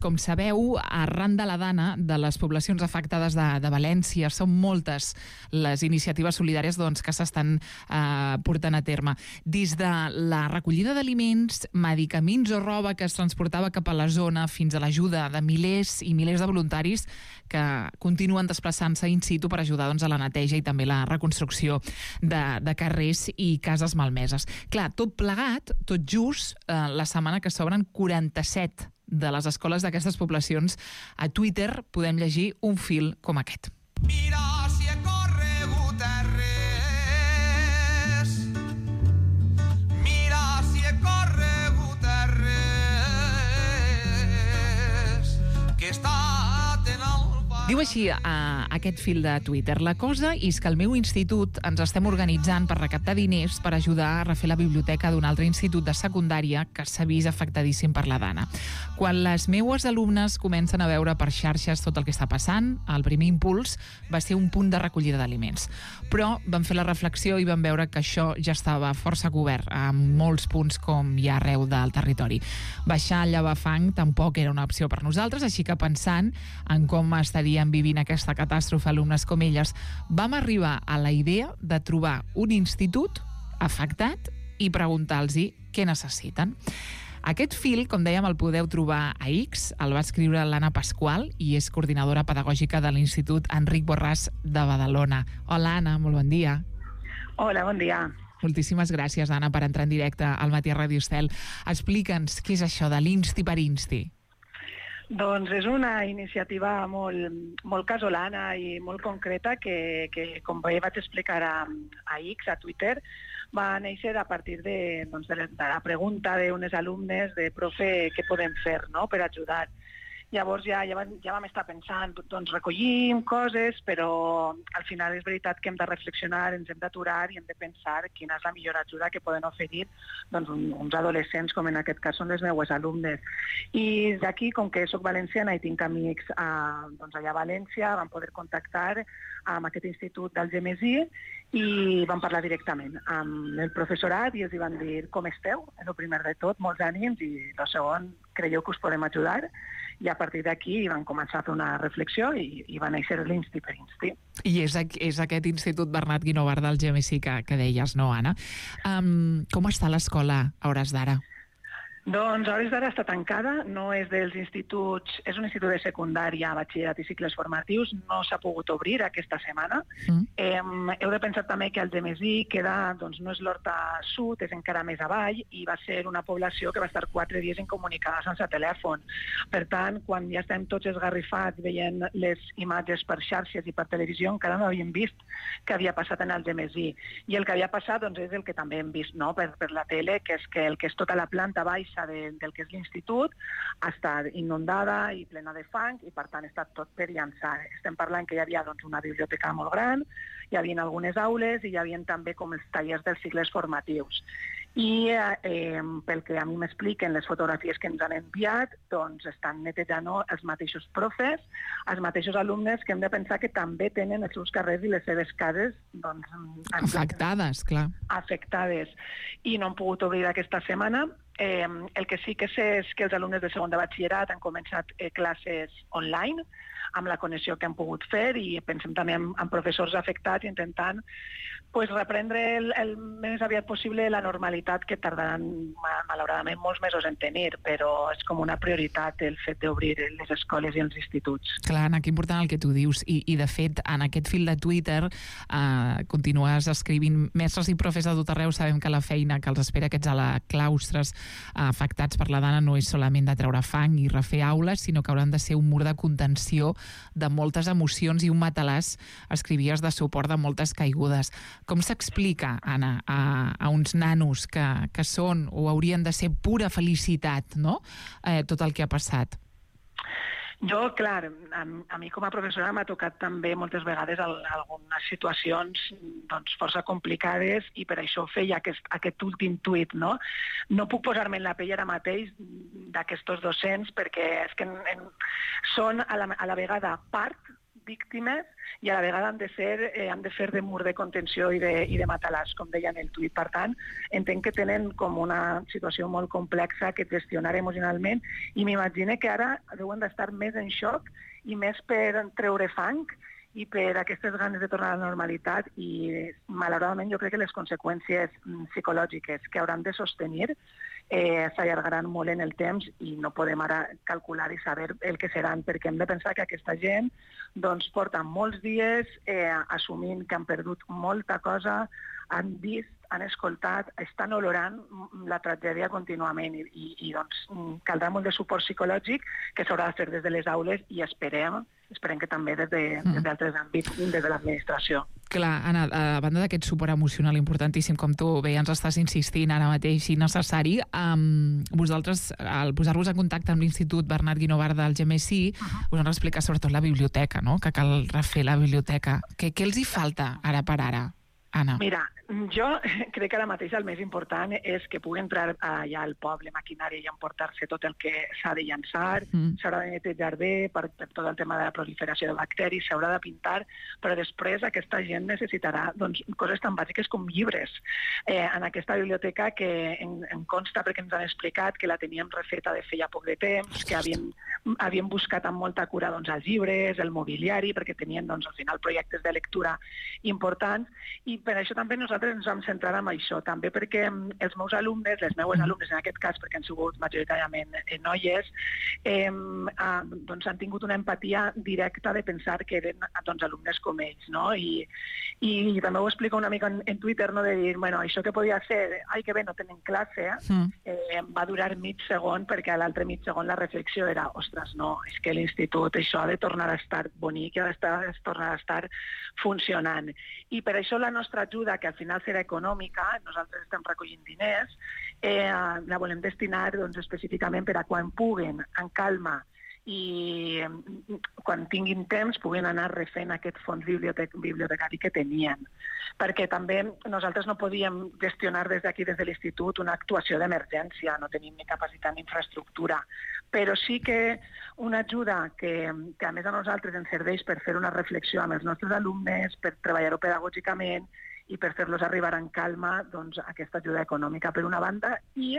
Com sabeu, arran de la Dana, de les poblacions afectades de València, són moltes les iniciatives solidàries que s'estan portant a terme. Des de la recollida d'aliments, medicaments o roba que es transportava cap a la zona, fins a l'ajuda de milers i milers de voluntaris que continuen desplaçant-se in situ per ajudar a la neteja i també la reconstrucció de carrers i cases malmeses. Clar, tot plegat, tot just, la setmana que s'obren 47 de les escoles d'aquestes poblacions, a Twitter podem llegir un fil com aquest. Mira si he corregut res. Mira si he corregut res. Que he estat en el... Diu així aquest fil de Twitter: la cosa és que al meu institut ens estem organitzant per recaptar diners per ajudar a refer la biblioteca d'un altre institut de secundària que s'ha vist afectadíssim per la Dana. Quan les meues alumnes comencen a veure per xarxes tot el que està passant, el primer impuls va ser un punt de recollida d'aliments. Però vam fer la reflexió i vam veure que això ja estava força cobert en molts punts com hi ha arreu del territori. Baixar a llevar fang tampoc era una opció per nosaltres, així que pensant en com estarien vivint aquesta catàstrofe alumnes com elles, vam arribar a la idea de trobar un institut afectat i preguntar-los què necessiten. Aquest fil, com dèiem, el podeu trobar a X, el va escriure l'Anna Pasqual i és coordinadora pedagògica de l'Institut Enric Borràs de Badalona. Hola, Anna, molt bon dia. Hola, bon dia. Moltíssimes gràcies, Anna, per entrar en directe al Matí a Ràdio Estel. Explica'ns què és això de l'Insti per Insti. Doncs és una iniciativa molt casolana i molt concreta que com bé vaig explicar a X, a Twitter, va néixer a partir de la pregunta d'unes alumnes de profe, què podem fer, no?, per ajudar. Llavors ja vam estar pensant, doncs recollim coses, però al final és veritat que hem de reflexionar, ens hem d'aturar i hem de pensar quina és la millor ajuda que poden oferir uns adolescents, com en aquest cas són les meues alumnes. I d'aquí, com que soc valenciana i tinc amics allà a València, vam poder contactar amb aquest institut del Gemesí i vam parlar directament amb el professorat i els van dir com esteu, el primer de tot, molts ànims, i el segon, creieu que us podem ajudar? I a partir d'aquí van començar a fer una reflexió i va néixer l'Insti per Insti. I és aquest Institut Bernat Guinovart del GMC que deies, no, Anna? Com està l'escola a hores d'ara? Doncs a hores d'ara està tancada, no és dels instituts, és un institut de secundària, batxillerat i cicles formatius, no s'ha pogut obrir aquesta setmana. Heu de pensar també que el Gemesí queda, doncs no és l'Horta Sud, és encara més avall, i va ser una població que va estar 4 dies incomunicada sense telèfon. Per tant, quan ja estem tots esgarrifats veient les imatges per xarxes i per televisió, encara no havíem vist què havia passat en el Gemesí. I el que havia passat doncs, és el que també hem vist, no?, per la tele, que és que el que és tota la planta baixa del que és l'institut ha estat inundada i plena de fang i per tant està tot per llançar. Estem parlant que hi havia una biblioteca molt gran, hi havia algunes aules i hi havia també com els tallers dels cicles formatius. I pel que a mi m'expliquen les fotografies que ens han enviat, doncs estan netejant els mateixos profes, els mateixos alumnes, que hem de pensar que també tenen els seus carrers i les seves cases afectades, clar. Afectades. I no han pogut obrir aquesta setmana. El que sí que sé és que els alumnes de segon de batxillerat han començat classes online, amb la connexió que han pogut fer, i pensem també en professors afectats intentant reprendre el més aviat possible la normalitat que tardaran malauradament molts mesos en tenir, però és com una prioritat el fet d'obrir les escoles i els instituts. Clar, Anna, que important el que tu dius, i de fet en aquest fil de Twitter continues escrivint: mestres i profes de tot arreu sabem que la feina que els espera aquests a la claustres afectats per la Dana no és solament de treure fang i refer aules, sinó que hauran de ser un mur de contenció de moltes emocions i un matalàs, escrivies, de suport de moltes caigudes. Com s'explica, Anna, a uns nanos que són o haurien de ser pura felicitat, no?, tot el que ha passat? Jo, clar, a mi com a professora m'ha tocat també moltes vegades algunes situacions força complicades i per això feia aquest últim tuit, no? No puc posar-me en la pell ara mateix d'aquests docents perquè és que són a la vegada part víctimes i a la vegada han de fer de mur de contenció i de matalàs, com deia en el tuit. Per tant, entenc que tenen com una situació molt complexa que gestionar emocionalment i m'imagino que ara deuen d'estar més en xoc i més per treure fang i per aquestes ganes de tornar a la normalitat i, malauradament, jo crec que les conseqüències psicològiques que hauran de sostenir s'allargaran molt en el temps i no podem ara calcular i saber el que seran, perquè hem de pensar que aquesta gent doncs, porta molts dies assumint que han perdut molta cosa, han vist, han escoltat, estan olorant la tragèdia contínuament i doncs, caldrà molt de suport psicològic que s'haurà de fer des de les aules i esperem que també des d'altres àmbits, des de l'administració. Clar, Anna, a banda d'aquest suport emocional importantíssim, com tu bé ens estàs insistint ara mateix i necessari, vosaltres, al posar-vos en contacte amb l'Institut Bernat Guinovart del GMSI, us han explicat sobretot la biblioteca, no? Que cal refer la biblioteca. Què els hi falta ara per ara, Anna? Mira, jo crec que ara mateix el més important és que pugui entrar allà al poble maquinària i emportar-se tot el que s'ha de llançar, s'haurà de netejar bé per tot el tema de la proliferació de bacteris, s'haurà de pintar, però després aquesta gent necessitarà doncs, coses tan bàsiques com llibres. En aquesta biblioteca que em consta, perquè ens han explicat que la teníem refeta de feia poc de temps, que havien buscat amb molta cura doncs, els llibres, el mobiliari, perquè tenien doncs, al final projectes de lectura importants, i per això també nosaltres ens vam centrar en això, també perquè els meus alumnes, les meues alumnes en aquest cas, perquè han sigut majoritàriament noies, doncs han tingut una empatia directa de pensar que eren doncs, alumnes com ells, no? I també ho explico una mica en Twitter, no? De dir, bueno, això que podia ser, ai que bé, no tenen classe, va durar mig segon, perquè a l'altre mig segon la reflexió era, ostres, no, és que l'institut això ha de tornar a estar bonic, ha de tornar a estar funcionant. I per això la nostra ajuda, que al final serà econòmica, nosaltres estem recollint diners, la volem destinar doncs, específicament per a quan puguen, en calma, i quan tinguin temps puguin anar refent aquest fons bibliotecari que tenien. Perquè també nosaltres no podíem gestionar des d'aquí, des de l'Institut, una actuació d'emergència, no tenim ni capacitat ni infraestructura, però sí que una ajuda que a més a nosaltres ens serveix per fer una reflexió amb els nostres alumnes, per treballar-ho pedagògicament i per fer-los arribar en calma doncs, aquesta ajuda econòmica per una banda i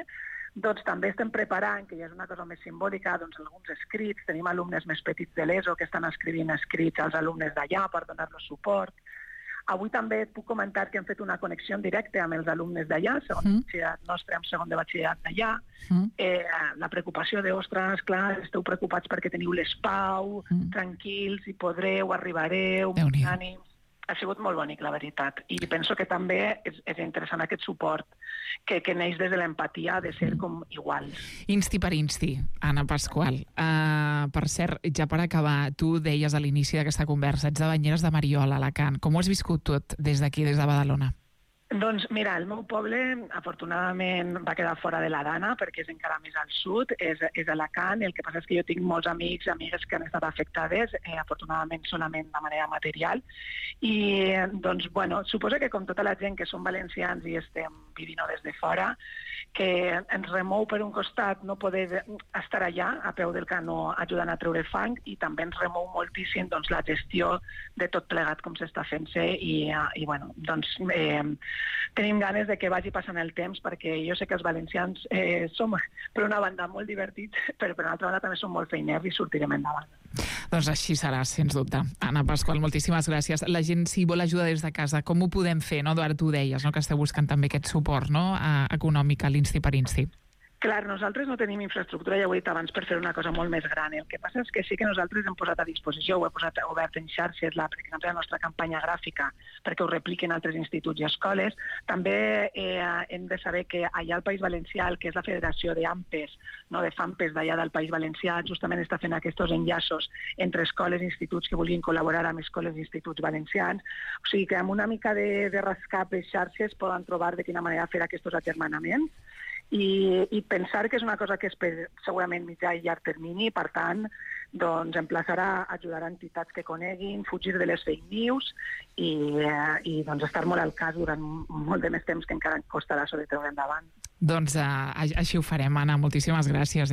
doncs també estem preparant, que ja és una cosa més simbòlica, doncs alguns escrits, tenim alumnes més petits de l'ESO que estan escrivint escrits als alumnes d'allà per donar-los suport. Avui també puc comentar que hem fet una connexió directa amb els alumnes d'allà, segon de batxillerat nostre, amb segon de batxillerat d'allà. La preocupació de, ostres, clar, esteu preocupats perquè teniu l'espau, tranquils, hi podreu, arribareu, ànims. Ha sigut molt bonic, la veritat. I penso que també és interessant aquest suport que neix des de l'empatia de ser com iguals. Insti per insti, Anna Pascual. Per cert, ja per acabar, tu deies a l'inici d'aquesta conversa, ets de Banyeres de Mariola, Alacant. Com ho has viscut tot des d'aquí, des de Badalona? Doncs mira, el meu poble afortunadament va quedar fora de la Dana perquè és encara més al sud, és Alacant. El que passa és que jo tinc molts amics i amigues que han estat afectades, afortunadament solament de manera material. I doncs, bueno, suposo que com tota la gent que som valencians i estem vivint des de fora, que ens remou per un costat no poder estar allà a peu del canó ajudant a treure fang i també ens remou moltíssim doncs, la gestió de tot plegat com s'està fent-se i bueno, doncs tenim ganes de que vagi passant el temps perquè jo sé que els valencians som per una banda molt divertits però per una altra banda també som molt feiners i sortirem endavant. Doncs així serà, sens dubte. Anna Pascual, moltíssimes gràcies. La gent, si vol ajudar des de casa, com ho podem fer? No? Eduard, tu ho deies, no? Que esteu buscant també aquest suport econòmic a l'Insti per Insti. Clar, nosaltres no tenim infraestructura, ja ho he dit abans, per fer una cosa molt més gran. El que passa és que sí que nosaltres hem posat a disposició, ho he posat obert en xarxes, per exemple, la nostra campanya gràfica, perquè ho repliquen altres instituts i escoles. També hem de saber que allà al País Valencià, el que és la Federació d'AMPES, no, de FAMPES d'allà del País Valencià, justament està fent aquests enllaços entre escoles i instituts que vulguin col·laborar amb escoles i instituts valencians. O sigui que amb una mica de rascar per xarxes poden trobar de quina manera fer aquests agermanaments. I pensar que és una cosa que és per segurament mitjà i llarg termini, per tant, doncs emplaçarà a ajudar a entitats que coneguin, fugir de les fake news i doncs estar molt al cas durant molt de més temps que encara costarà sobre treure endavant. Doncs així ho farem, Anna. Moltíssimes gràcies,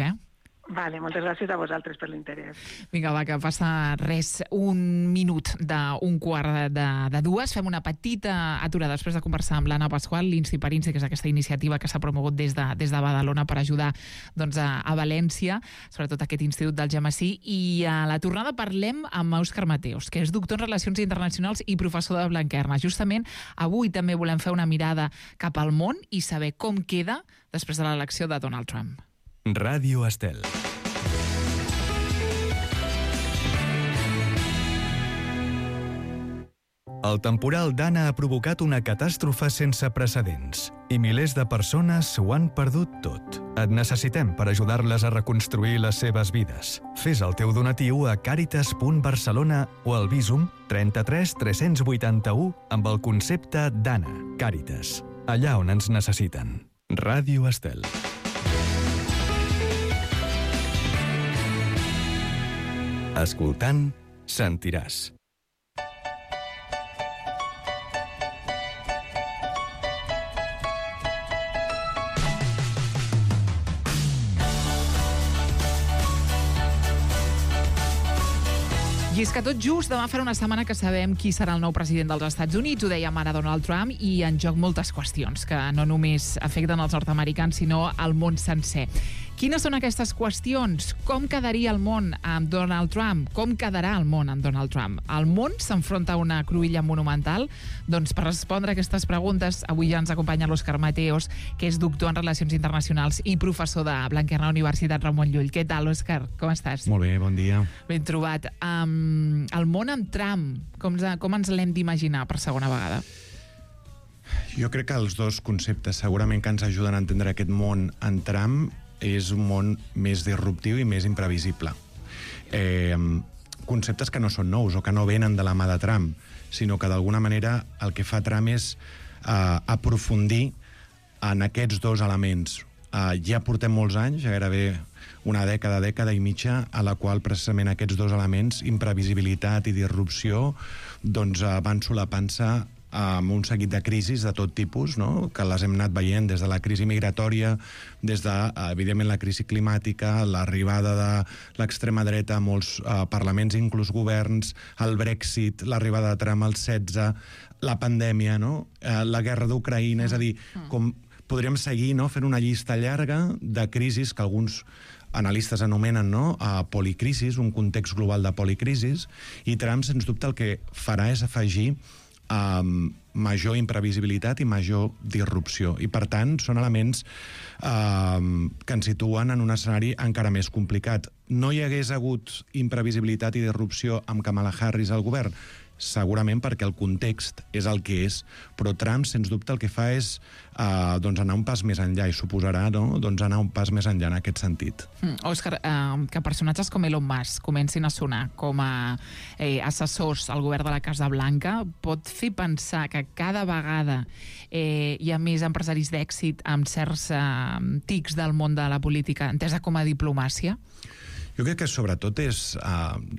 Vale, moltes gràcies a vosaltres per l'interès. Vinga, va, que passa res, un minut d'un quart de dues. Fem una petita aturada després de conversar amb l'Anna Pasqual, l'Insti-Per-Insti, que és aquesta iniciativa que s'ha promogut des de Badalona per ajudar a València, sobretot aquest Institut del Gemesí. I a la tornada parlem amb Òscar Mateos, que és doctor en Relacions Internacionals i professor de Blanquerna. Justament avui també volem fer una mirada cap al món i saber com queda després de l'elecció de Donald Trump. Ràdio Estel. El temporal Dana ha provocat una catàstrofe sense precedents i milers de persones ho han perdut tot. Et necessitem per ajudar-les a reconstruir les seves vides. Fes el teu donatiu a caritas.barcelona o al Bizum 33 381 amb el concepte Dana. Càritas, allà on ens necessiten. Ràdio Estel. Escoltant, sentiràs. I és que tot just demà farà una setmana que sabem qui serà el nou president dels Estats Units, ho dèiem ara Donald Trump, i en joc moltes qüestions que no només afecten els nord-americans, sinó al món sencer. Quines són aquestes qüestions? Com quedaria el món amb Donald Trump? Com quedarà el món amb Donald Trump? El món s'enfronta a una cruïlla monumental? Doncs per respondre a aquestes preguntes, avui ja ens acompanya l'Òscar Mateos, que és doctor en Relacions Internacionals i professor de Blanquerna Universitat Ramon Llull. Què tal, Òscar? Com estàs? Molt bé, bon dia. Ben trobat. El món amb Trump, com ens l'hem d'imaginar per segona vegada? Jo crec que els dos conceptes segurament que ens ajuden a entendre aquest món en Trump és un món més disruptiu i més imprevisible. Conceptes que no són nous o que no venen de la mà de Trump, sinó que d'alguna manera el que fa Trump és aprofundir en aquests dos elements. Ja portem molts anys, gairebé una dècada i mitja, a la qual precisament aquests dos elements, imprevisibilitat i disrupció, doncs van solapant-se amb un seguit de crisis de tot tipus, no? Que les hem anat veient des de la crisi migratòria, des de, evidentment, la crisi climàtica, l'arribada de l'extrema dreta a molts parlaments, inclús governs, el Brexit, l'arribada de Trump al 16, la pandèmia, no? La guerra d'Ucraïna, és a dir, com podríem seguir, no? Fent una llista llarga de crisis que alguns analistes anomenen, no? Policrisis, un context global de policrisis, i Trump, sens dubte, el que farà és afegir major imprevisibilitat i major disrupció. I, per tant, són elements que ens situen en un escenari encara més complicat. No hi hagués hagut imprevisibilitat i disrupció amb Kamala Harris al govern? Segurament perquè el context és el que és, però Trump, sens dubte, el que fa és anar un pas més enllà i suposarà anar un pas més enllà en aquest sentit. Òscar, que personatges com Elon Musk comencin a sonar com a assessors al govern de la Casa Blanca pot fer pensar que cada vegada hi ha més empresaris d'èxit amb certs tics del món de la política entesa com a diplomàcia? Jo crec que sobretot és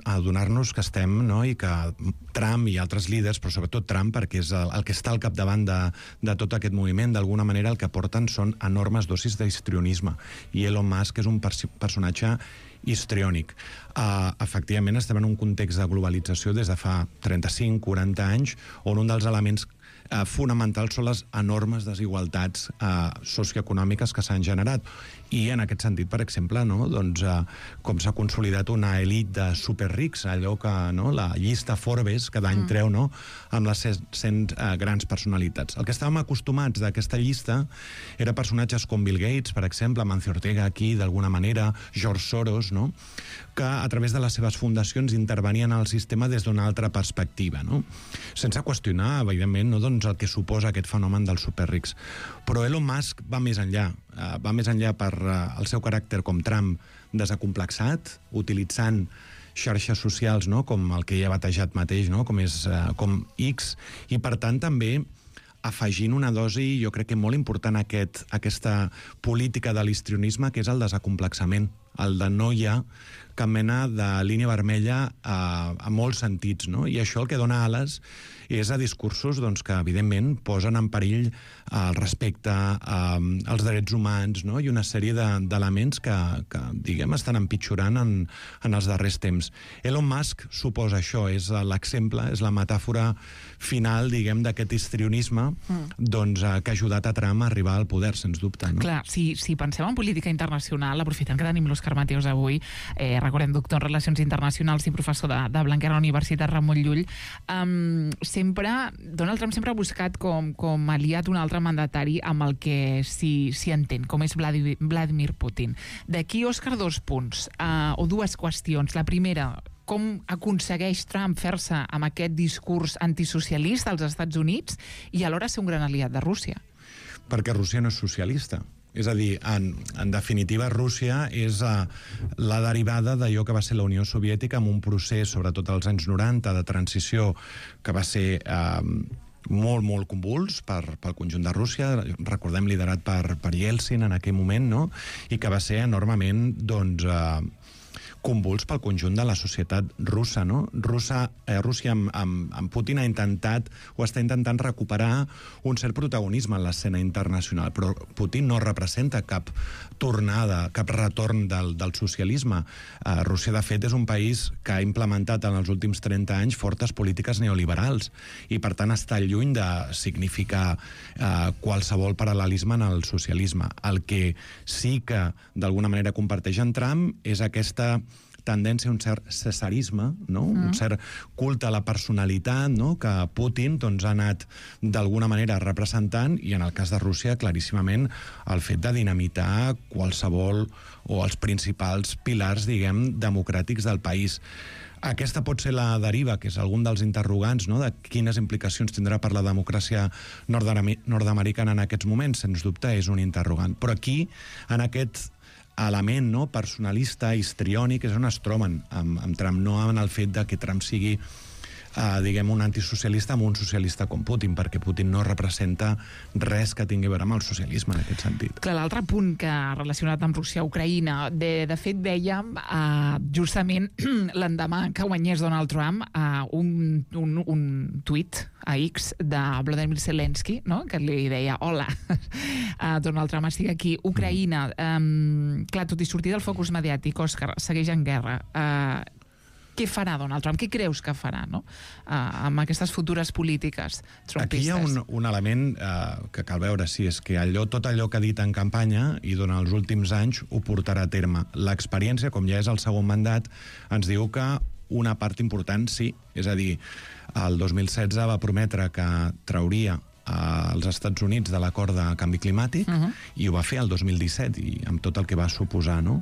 adonar-nos que estem, no?, i que Trump i altres líders, però sobretot Trump, perquè és el que està al capdavant de tot aquest moviment, d'alguna manera el que porten són enormes dosis d'histrionisme. I Elon Musk és un personatge histriònic. Efectivament, estem en un context de globalització des de fa 35-40 anys, on un dels elements fonamentals són les enormes desigualtats socioeconòmiques que s'han generat. I en aquest sentit, per exemple, com s'ha consolidat una elit de superrics, allò que la llista Forbes cada any treu, amb les 100 grans personalitats. El que estàvem acostumats d'aquesta llista era personatges com Bill Gates, per exemple, Amancio Ortega aquí, d'alguna manera, George Soros, que a través de les seves fundacions intervenien al sistema des d'una altra perspectiva, sense qüestionar, evidentment, el que suposa aquest fenomen dels superrics. Però Elon Musk va més enllà per el seu caràcter com Trump desacomplexat, utilitzant xarxes socials, com el que ell ha batejat mateix, com X, i per tant també afegint una dosi, jo crec que molt important a aquesta política de l'histrionisme, que és el desacomplexament, el de no hi ha cap mena de línia vermella a molts sentits, no? I això el que dona ales és a discursos doncs, que, evidentment, posen en perill el respecte, els drets humans, no? I una sèrie d'elements que diguem, estan empitjorant en els darrers temps. Elon Musk suposa això, és l'exemple, és la metàfora final, diguem, d'aquest histrionisme doncs, que ha ajudat a Trump a arribar al poder, sens dubte. No? Clar, si pensem en política internacional, aprofitant que tenim l'Òscar Mateos avui, recordem, doctor en Relacions Internacionals i professor de Blanquer a la Universitat Ramon Llull, Donald Trump sempre ha buscat com aliat un altre mandatari amb el que s'hi entén, com és Vladimir Putin. D'aquí, Òscar, 2 punts, o 2 qüestions. La primera, com aconsegueix Trump fer-se amb aquest discurs antisocialista als Estats Units i alhora ser un gran aliat de Rússia? Perquè Rússia no és socialista. És a dir, en definitiva, Rússia és la derivada d'allò que va ser la Unió Soviètica amb un procés, sobretot als anys 90, de transició que va ser molt, molt convuls pel conjunt de Rússia, recordem, liderat per Yeltsin en aquell moment, no? I que va ser enormement, doncs, convuls pel conjunt de la societat russa, no? Rússia amb Putin ha intentat o està intentant recuperar un cert protagonisme en l'escena internacional, però Putin no representa cap tornada, cap retorn del socialisme. Rússia, de fet, és un país que ha implementat en els últims 30 anys fortes polítiques neoliberals i, per tant, està lluny de significar qualsevol paral·lelisme en el socialisme. El que sí que, d'alguna manera, comparteix en Trump és aquesta tendència a un cert cesarisme, no? Un cert culte a la personalitat, no? Que Putin doncs, ha anat d'alguna manera representant, i en el cas de Rússia, claríssimament, el fet de dinamitar qualsevol o els principals pilars, diguem, democràtics del país. Aquesta pot ser la deriva, que és algun dels interrogants, no? De quines implicacions tindrà per la democràcia nord-americana en aquests moments, sens dubte és un interrogant. Però aquí, en aquest element, no, personalista, histriònic, és on es troben amb Trump, no en el fet de que Trump sigui diguem, un antisocialista amb un socialista com Putin, perquè Putin no representa res que tingui a veure amb el socialisme en aquest sentit. Clar, l'altre punt que relacionat amb Rússia-Ucraïna, de fet vèiem justament l'endemà que guanyés Donald Trump un tuit a X de Volodymyr Zelensky, no? Que li deia, hola, Donald Trump, estic aquí, Ucraïna. Clar, tot i sortir del focus mediàtic, Òscar, segueix en guerra. Què farà Donald Trump? Què creus que farà, no? Amb aquestes futures polítiques trumpistes? Aquí hi ha un element que cal veure si és que tot allò que ha dit en campanya i durant els últims anys ho portarà a terme. L'experiència, com ja és el segon mandat, ens diu que una part important sí. És a dir, el 2016 va prometre que trauria als Estats Units de l'acord de canvi climàtic i ho va fer el 2017 i amb tot el que va suposar, no?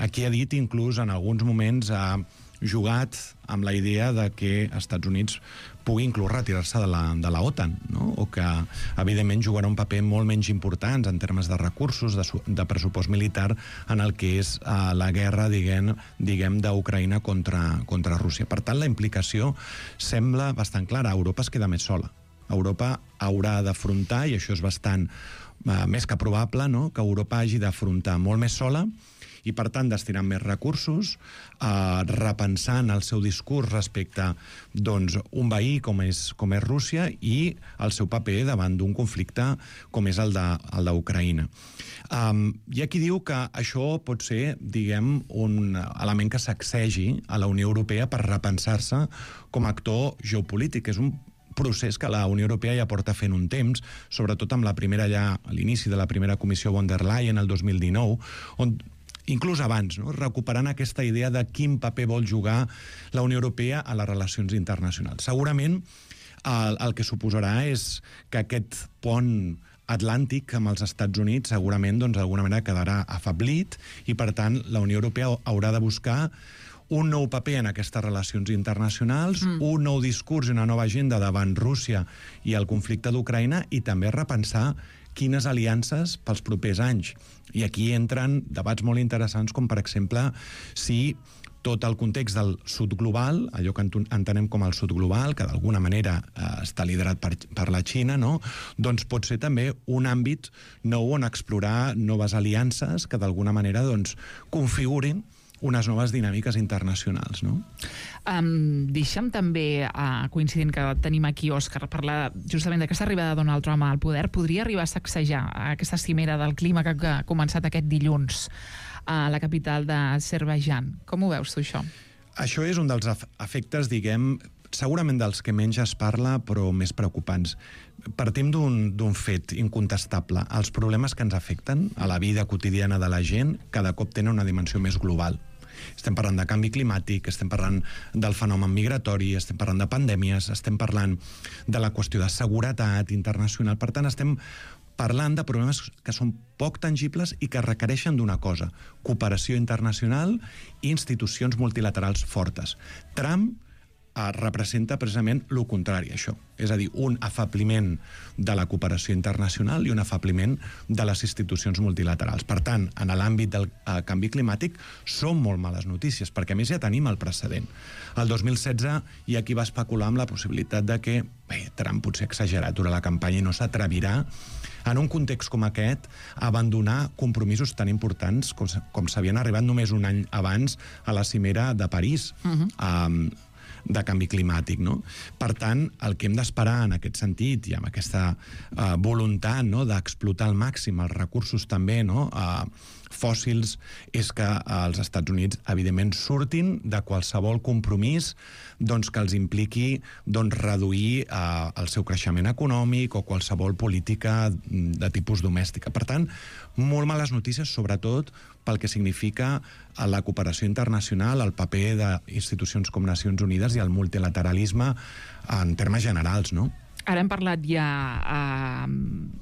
Aquí ha dit, inclús en alguns moments ha jugat amb la idea de que els Estats Units pugui inclús retirar-se de la OTAN, no? O que evidentment jugarà un paper molt menys important en termes de recursos, de pressupost militar en el que és la guerra, diguem d'Ucraïna contra Rússia. Per tant, la implicació sembla bastant clara. Europa es queda més sola. Europa haurà d'afrontar, i això és bastant més que probable, no? Que Europa hagi d'afrontar molt més sola i, per tant, destinant més recursos, repensant el seu discurs respecte doncs, un veí com és Rússia i el seu paper davant d'un conflicte com és el d'Ucraïna. Hi ha qui diu que això pot ser, diguem, un element que sacsegi a la Unió Europea per repensar-se com a actor geopolític. És un procés que la Unió Europea ja porta fent un temps, sobretot amb a l'inici de la primera comissió von der Leyen el 2019, on inclús abans, no? Recuperant aquesta idea de quin paper vol jugar la Unió Europea a les relacions internacionals. Segurament el que suposarà és que aquest pont atlàntic amb els Estats Units segurament d'alguna manera quedarà afeblit i, per tant, la Unió Europea haurà de buscar un nou paper en aquestes relacions internacionals, un nou discurs i una nova agenda davant Rússia i el conflicte d'Ucraïna i també repensar quines aliances pels propers anys. I aquí entren debats molt interessants com, per exemple, si tot el context del sud global, allò que entenem com el sud global, que d'alguna manera està liderat per la Xina, no? Doncs pot ser també un àmbit nou on explorar noves aliances que d'alguna manera configurin unes noves dinàmiques internacionals, no? Deixa'm també, coincidint que tenim aquí Òscar, parlar justament d'aquesta arribada de Donald Trump al poder. Podria arribar a sacsejar aquesta cimera del clima que ha començat aquest dilluns a la capital d'Azerbaidjan. Com ho veus tu, això? Això és un dels efectes, diguem, segurament dels que menys es parla, però més preocupants. Partim d'un fet incontestable. Els problemes que ens afecten a la vida quotidiana de la gent cada cop tenen una dimensió més global. Estem parlant de canvi climàtic, estem parlant del fenomen migratori, estem parlant de pandèmies, estem parlant de la qüestió de seguretat internacional. Per tant, estem parlant de problemes que són poc tangibles i que requereixen d'una cosa: cooperació internacional i institucions multilaterals fortes. Trump representa precisament el contrari, això. És a dir, un afabliment de la cooperació internacional i un afabliment de les institucions multilaterals. Per tant, en l'àmbit del canvi climàtic són molt males notícies, perquè a més ja tenim el precedent. El 2016 hi ha qui va especular amb la possibilitat de que Trump potser ha exagerat durant la campanya i no s'atrevirà, en un context com aquest, a abandonar compromisos tan importants com s'havien arribat només un any abans a la cimera de París, de canvi climàtic, no? Per tant, el que hem d'esperar en aquest sentit i amb aquesta voluntat, no, d'explotar al màxim els recursos també, no, fòssils, és que els Estats Units, evidentment, surtin de qualsevol compromís doncs, que els impliqui reduir el seu creixement econòmic o qualsevol política de tipus domèstica. Per tant, molt males notícies, sobretot pel que significa la cooperació internacional, el paper d'institucions com Nacions Unides i el multilateralisme en termes generals, no? Ara hem parlat ja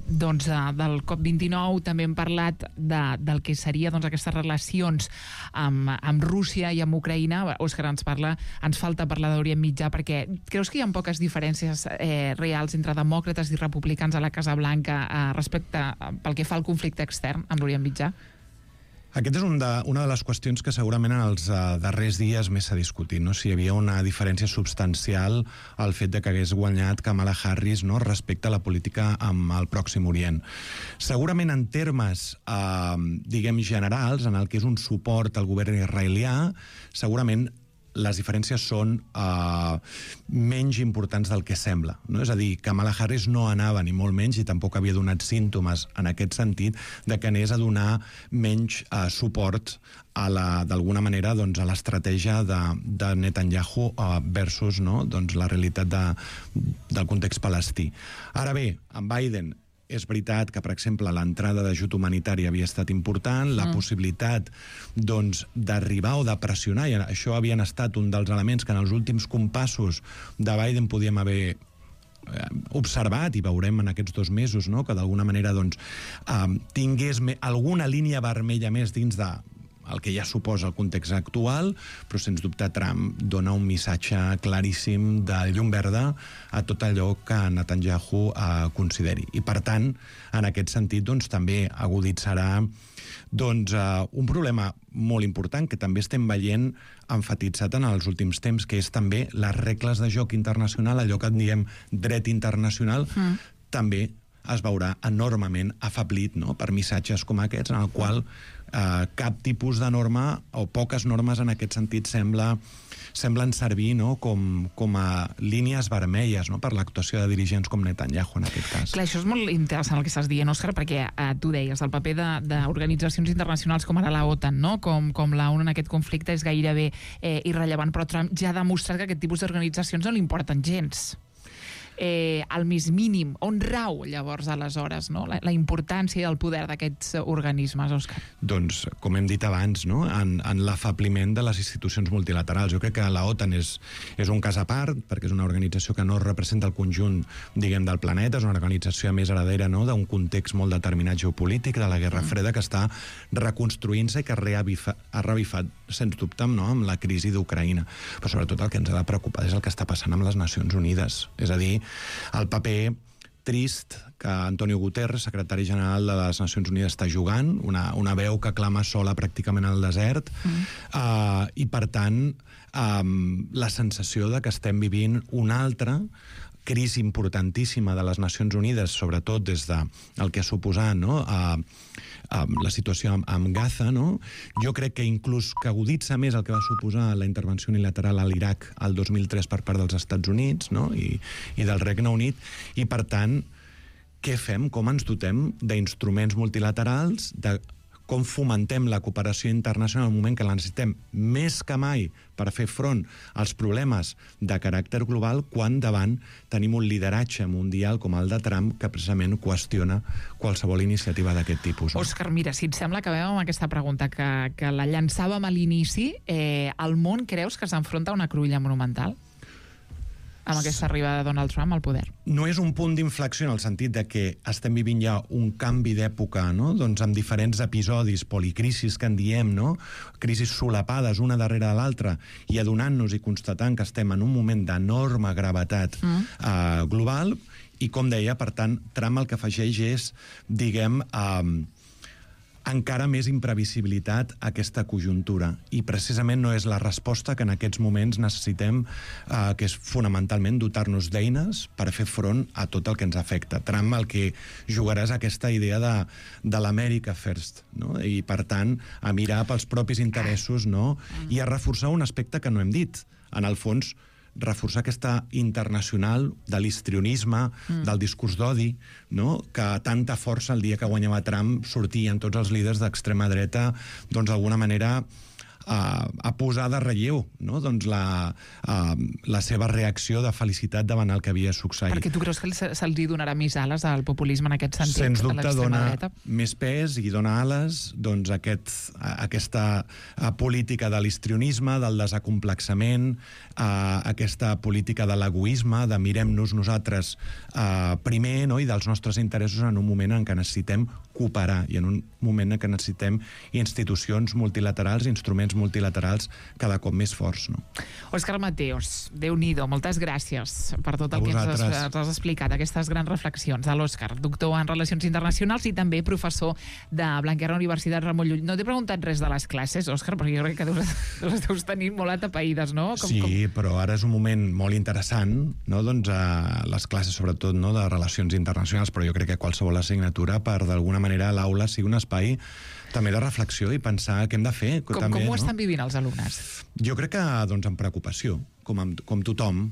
del COP29, també hem parlat del que seria aquestes relacions amb Rússia i amb Ucraïna. Òscar ens falta parlar d'Orient Mitjà, perquè creus que hi ha poques diferències reals entre demòcrates i republicans a la Casa Blanca respecte pel que fa al conflicte extern amb l'Orient Mitjà? Aquesta és una de les qüestions que segurament en els darrers dies més s'ha discutit, no? Si hi havia una diferència substancial al fet de que hagués guanyat Kamala Harris, no, respecte a la política amb el Pròxim Orient. Segurament en termes, diguem, generals, en el que és un suport al govern israelià, segurament les diferències són menys importants del que sembla, no? És a dir, Kamala Harris no anava, ni molt menys, i tampoc havia donat símptomes en aquest sentit, de que anés a donar menys suport d'alguna manera a l'estratègia de Netanyahu versus la realitat del context palestí. Ara bé, amb Biden és veritat que, per exemple, l'entrada d'ajut humanitari havia estat important, la possibilitat d'arribar o de pressionar, i això havien estat un dels elements que en els últims compassos de Biden podíem haver observat, i veurem en aquests 2 mesos, no?, que d'alguna manera tingués alguna línia vermella més dins el que ja suposa el context actual, però sens dubte Trump dona un missatge claríssim de llum verda a tot allò que Netanyahu consideri. I per tant, en aquest sentit, també aguditzarà un problema molt important que també estem veient emfatitzat en els últims temps, que és també les regles de joc internacional, allò que en diem dret internacional, també es veurà enormement afeblit, no?, per missatges com aquests, en el qual cap tipus de norma, o poques normes en aquest sentit, semblen servir, no?, com a línies vermelles, no?, per l'actuació de dirigents com Netanyahu en aquest cas. Clar, això és molt interessant el que estàs dient, Òscar, perquè tu deies, el paper d'organitzacions internacionals com ara la OTAN, no?, com la ONU en aquest conflicte és gairebé irrellevant, però Trump ja ha demostrat que aquest tipus d'organitzacions no li importen gens. Al més mínim, on rau llavors aleshores, no?, la importància i el poder d'aquests organismes, Òscar? Doncs, com hem dit abans, no?, en l'afabliment de les institucions multilaterals. Jo crec que la OTAN és un cas a part, perquè és una organització que no representa el conjunt, diguem, del planeta, és una organització a més heredera, no?, d'un context molt determinat geopolític, de la Guerra Freda, que està reconstruint-se i que ha revifat, sens dubte, no?, amb la crisi d'Ucraïna. Però sobretot el que ens ha de preocupar és el que està passant amb les Nacions Unides. És a dir, el paper trist que Antonio Guterres, secretari general de les Nacions Unides, està jugant, una veu que clama sola pràcticament al desert, i per tant la sensació de que estem vivint un altre crisi importantíssima de les Nacions Unides, sobretot des del que ha suposat, no?, a la situació amb Gaza, no? Jo crec que inclús que aguditza més el que va suposar la intervenció unilateral a l'Iraq el 2003 per part dels Estats Units, no?, i del Regne Unit, i per tant, què fem? Com ens dotem d'instruments multilaterals, de com fomentem la cooperació internacional en el moment que la necessitem més que mai per fer front als problemes de caràcter global, quan davant tenim un lideratge mundial com el de Trump, que precisament qüestiona qualsevol iniciativa d'aquest tipus. Òscar, mira, si et sembla, acabem amb aquesta pregunta que la llançàvem a l'inici. El món creus que s'enfronta a una cruïlla monumental amb aquesta arribada de Donald Trump al poder? No és un punt d'inflexió en el sentit de que estem vivint ja un canvi d'època, no?, doncs amb diferents episodis, policrisis que en diem, no?, crisis solapades una darrere de l'altra, i adonant-nos i constatant que estem en un moment d'enorme gravetat global, i com deia, per tant, Trump el que afegeix és, diguem, encara més imprevisibilitat a aquesta conjuntura, i precisament no és la resposta que en aquests moments necessitem, que és fonamentalment dotar-nos d'eines per fer front a tot el que ens afecta. Trump el que jugarà és aquesta idea de l'America First, no?, i per tant a mirar pels propis interessos, no?, i a reforçar un aspecte que no hem dit, en el fons reforçar aquesta internacional de l'histrionisme, del discurs d'odi, no?, que tanta força el dia que guanyava Trump sortien tots els líders d'extrema dreta, doncs d'alguna manera a posar de relleu, no?, doncs la seva reacció de felicitat davant el que havia succeït. Perquè tu creus que se'ls donarà més ales al populisme en aquest sentit? Sens dubte dona dreta? Més pes i dona ales, doncs, aquesta política de l'histrionisme, del desacomplexament, aquesta política de l'egoisme, de mirem-nos nosaltres primer, no?, i dels nostres interessos en un moment en què necessitem cooperar, i en un moment en què necessitem institucions multilaterals, instruments multilaterals cada cop més forts, no? Òscar Mateos, Déu-n'hi-do, moltes gràcies per tot el que ens has explicat, aquestes grans reflexions de l'Òscar, doctor en Relacions Internacionals i també professor de Blanquerna Universitat Ramon Llull. No t'he preguntat res de les classes, Òscar, perquè jo crec que les deus tenir molt atapeïdes, no? Sí, però ara és un moment molt interessant, no?, doncs les classes, sobretot, no?, de Relacions Internacionals, però jo crec que qualsevol assignatura, per d'alguna manera l'aula sigui un espai també de reflexió i pensar què hem de fer. Com ho estan vivint els alumnes? Jo crec que, doncs, amb preocupació, com tothom,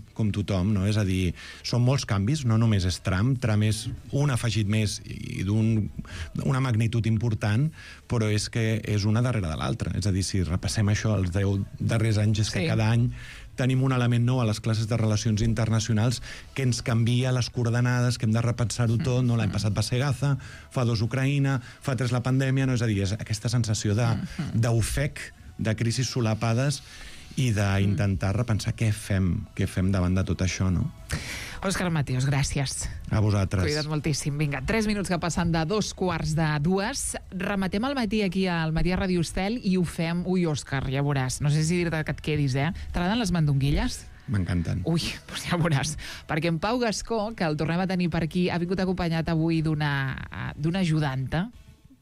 no? És a dir, són molts canvis, no només és Trump és un afegit més i d'una magnitud important, però és que és una darrere de l'altra. És a dir, si repassem això els 10 darrers anys, és que cada any tenim un element nou a les classes de Relacions Internacionals que ens canvia les coordenades, que hem de repensar-ho tot, no? L'any passat va ser Gaza, fa 2 Ucraïna, fa 3 la pandèmia, no? És a dir, és aquesta sensació d'ofec, de crisis solapades, i d'intentar repensar què fem davant de tot això, no? Òscar Mateos, gràcies. A vosaltres. Cuida't moltíssim. Vinga, 3 minuts que passen de 2:45. Rematem el matí aquí al Matí a Ràdio Estel i ho fem... Ui, Òscar, ja veuràs. No sé si dir-te que et quedis, T'agraden les mandonguilles? M'encanten. Ui, doncs ja veuràs. Perquè en Pau Gascó, que el tornem a tenir per aquí, ha vingut acompanyat avui d'una ajudanta,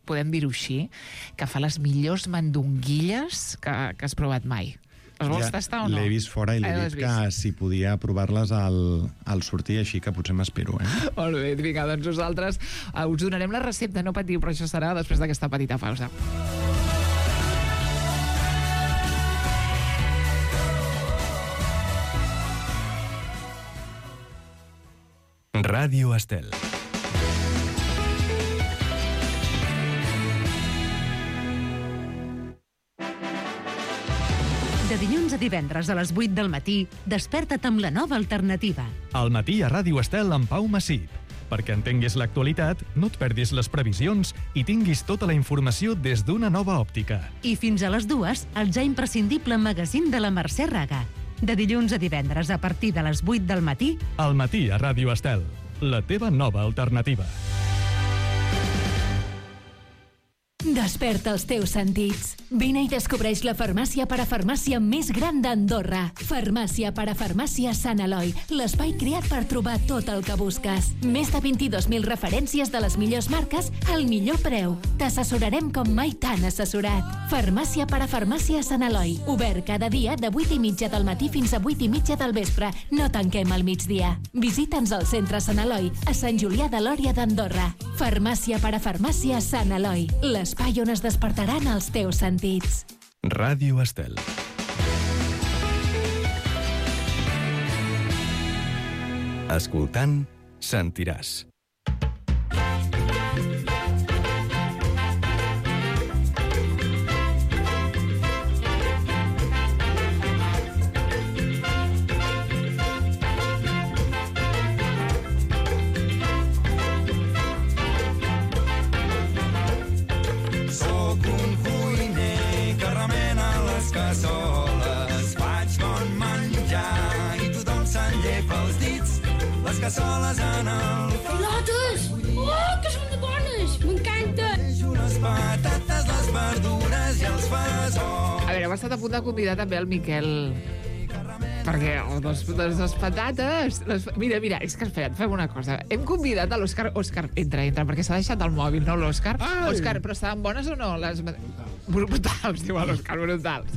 podem dir-ho així, que fa les millors mandonguilles que has provat mai. Les vols tastar o no? L'he vist fora i l'he dit que si podia provar-les al sortir, així que potser m'espero, Molt bé, vinga, doncs nosaltres us donarem la recepta, no patiu, però això serà després d'aquesta petita pausa. Ràdio Estel. De dilluns a divendres a les 8 del matí, desperta't amb la nova alternativa. Al matí a Ràdio Estel amb Pau Massip. Perquè entenguis l'actualitat, no et perdis les previsions i tinguis tota la informació des d'una nova òptica. I fins a les 2, el ja imprescindible magazín de la Mercè Raga. De dilluns a divendres a partir de les 8 del matí... Al matí a Ràdio Estel, la teva nova alternativa. Desperta els teus sentits. Vine i descobreix la farmàcia parafarmàcia més gran d'Andorra. Farmàcia parafarmàcia Sant Eloi, l'espai creat per trobar tot el que busques. Més de 22.000 referències de les millors marques al millor preu. T'assessorarem com mai t'han assessorat. Farmàcia parafarmàcia Sant Eloi, obert cada dia de 8:30 del matí fins a 8:30 del vespre. No tanquem al migdia. Visita'ns al centre Sant Eloi, a Sant Julià de Lòria d'Andorra. Farmàcia parafarmàcia Sant Eloi, l'espai on es despertaran els teus sentits. Ràdio Estel. Escoltant, sentiràs. Cassoles, faig bon menjar i tothom s'enllepa els dits, les cassoles en el foc. Pilotes! Oh, que són bones! M'encanta! Les patates, les verdures i els fesols. A veure, hem estat a punt de convidar també el Miquel, perquè les patates... Mira, és que espera't, fem una cosa. Hem convidat a l'Òscar... Òscar, entra, perquè s'ha deixat el mòbil, no l'Òscar? Òscar, però estaven bones o no? Brutals, diu l'Òscar, brutals.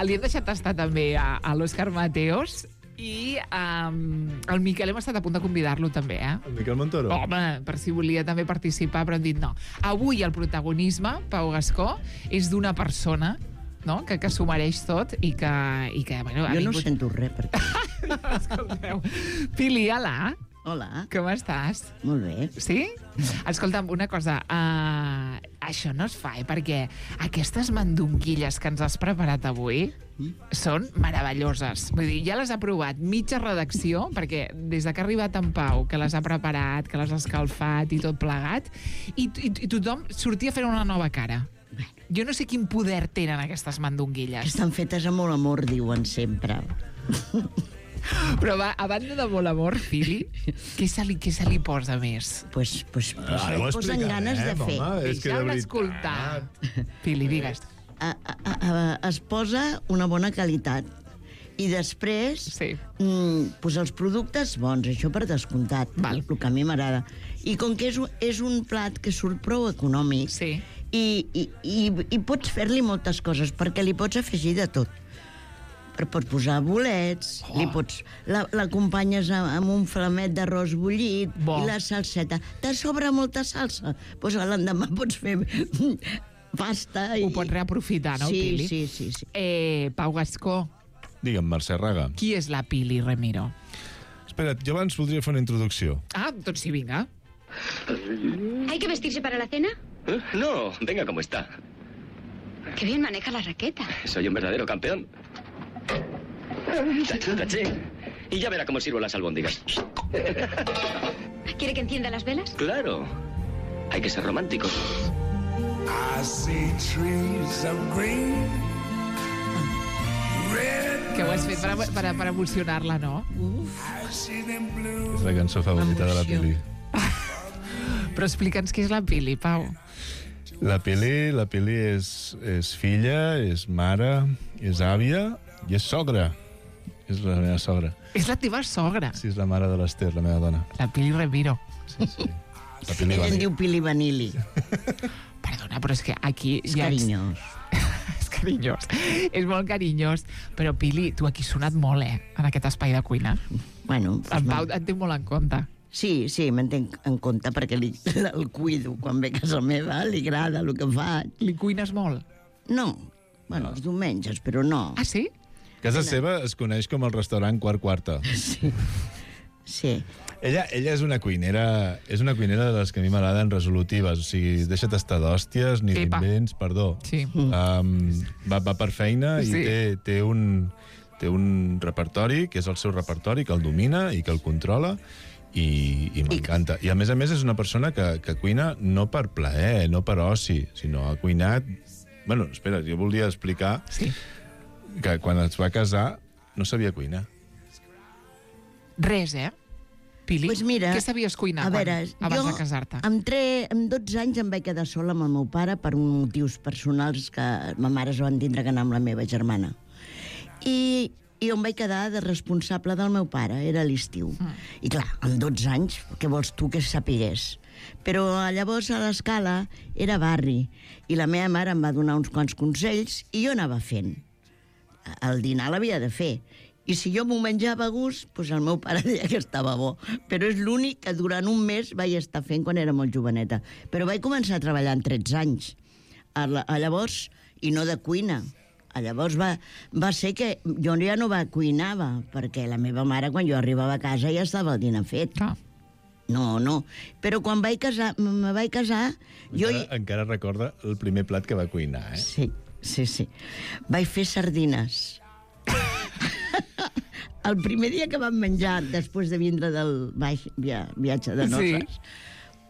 Li hem deixat tastar també a l'Òscar Mateos i el Miquel hem estat a punt de convidar-lo també, eh? El Miquel Montoro? Home, per si volia també participar, però hem dit no. Avui el protagonisme, Pau Gascó, és d'una persona, no?, que s'ho mereix tot i que bueno, jo no sento res, perquè... Escolteu. Pili, hola. Hola. Com estàs? Molt bé. Sí? Escolta'm, una cosa, això no es fa, perquè aquestes mandonguilles que ens has preparat avui són meravelloses. Vull dir, ja les ha provat mitja redacció, perquè des de que ha arribat en Pau, que les ha preparat, que les ha escalfat i tot plegat, i tothom sortia fent una nova cara. Jo no sé quin poder tenen aquestes mandonguilles. Estan fetes amb molt amor, diuen sempre. Però a banda de molt amor, Pili, què se li posa més? Pues posen ganes de fer. Ja l'he escoltat. Pili, digues. Es posa una bona qualitat. I després, pues els productes bons, això per descomptat, el que a mi m'agrada. I com que és un plat que surt prou econòmic, i pots fer-li moltes coses, perquè li pots afegir de tot. Pots posar bolets, l'acompanyes amb un flamet d'arròs bullit i la salseta. Te sobra molta salsa? Doncs l'endemà pots fer pasta. Ho pots reaprofitar, no, Pili? Sí. Pau Gascó. Digue'm, Mercè Raga. Qui és la Pili Remiro? Espera't, jo abans voldria fer una introducció. Doncs sí, vinga. ¿Hay que vestirse para la cena? No, venga como está. Qué bien maneja la raqueta. Soy un verdadero campeón. Taché. Y ya verá cómo sirvo las albóndigas. ¿Quiere que encienda las velas? Claro. Hay que ser románticos. I see trees of green, red. Que ho has fet per emocionar-la, no? És la cançó favorita de la Pili. Però explica'ns què és la Pili, Pau. La Pili és filla, és mare, és àvia i és sogra. És la meva sogra. És la teva sogra? Sí, és la mare de l'Ester, la meva dona. La Pili Remiro. Sí. La Pili Ella en diu Pili Vanilli. Perdona, però és que aquí... És carinyós. És carinyós. És molt carinyós. Però, Pili, tu aquí has sonat molt, en aquest espai de cuina. Bueno... En Pau et té molt en compte. Sí, m'entenc en compte perquè el cuido. Quan ve a casa meva li agrada el que faig. Li cuines molt? No. Bueno, els diumenges, però no. Ah, sí? Casa seva es coneix com el restaurant Quarta. Sí. Ella és una cuinera de les que a mi m'agraden resolutives, o sigui, deixa't estar d'hòsties, ni d'invents, perdó. Sí. Va per feina i té un repertori, que és el seu repertori, que el domina i que el controla, i m'encanta. I a més és una persona que cuina no per plaer, no per oci, sinó ha cuinat... Bueno, espera, jo volia explicar que quan es va casar no sabia cuinar. Res, Pili, Pues mira, què sabies cuinar abans de casar-te? Amb 12 anys em vaig quedar sola amb el meu pare per motius personals que ma mare es van tindre que anar amb la meva germana. I em vaig quedar de responsable del meu pare, era l'estiu. I clar, amb 12 anys, què vols tu que sapigués? Però llavors a l'escala era barri i la meva mare em va donar uns quants consells i jo anava fent. El dinar l'havia de fer. I si jo m'ho menjava a gust, doncs el meu pare deia que estava bo. Però és l'únic que durant un mes vaig estar fent quan era molt joveneta. Però vaig començar a treballar amb 13 anys. Llavors, i no de cuina. Llavors va ser que jo ja no cuinava, perquè la meva mare, quan jo arribava a casa, ja estava el dinar fet. No. Però quan me vaig casar... Encara recorda el primer plat que va cuinar, eh? Sí. Vaig fer sardines. El primer dia que vam menjar, després de vindre del viatge de noces,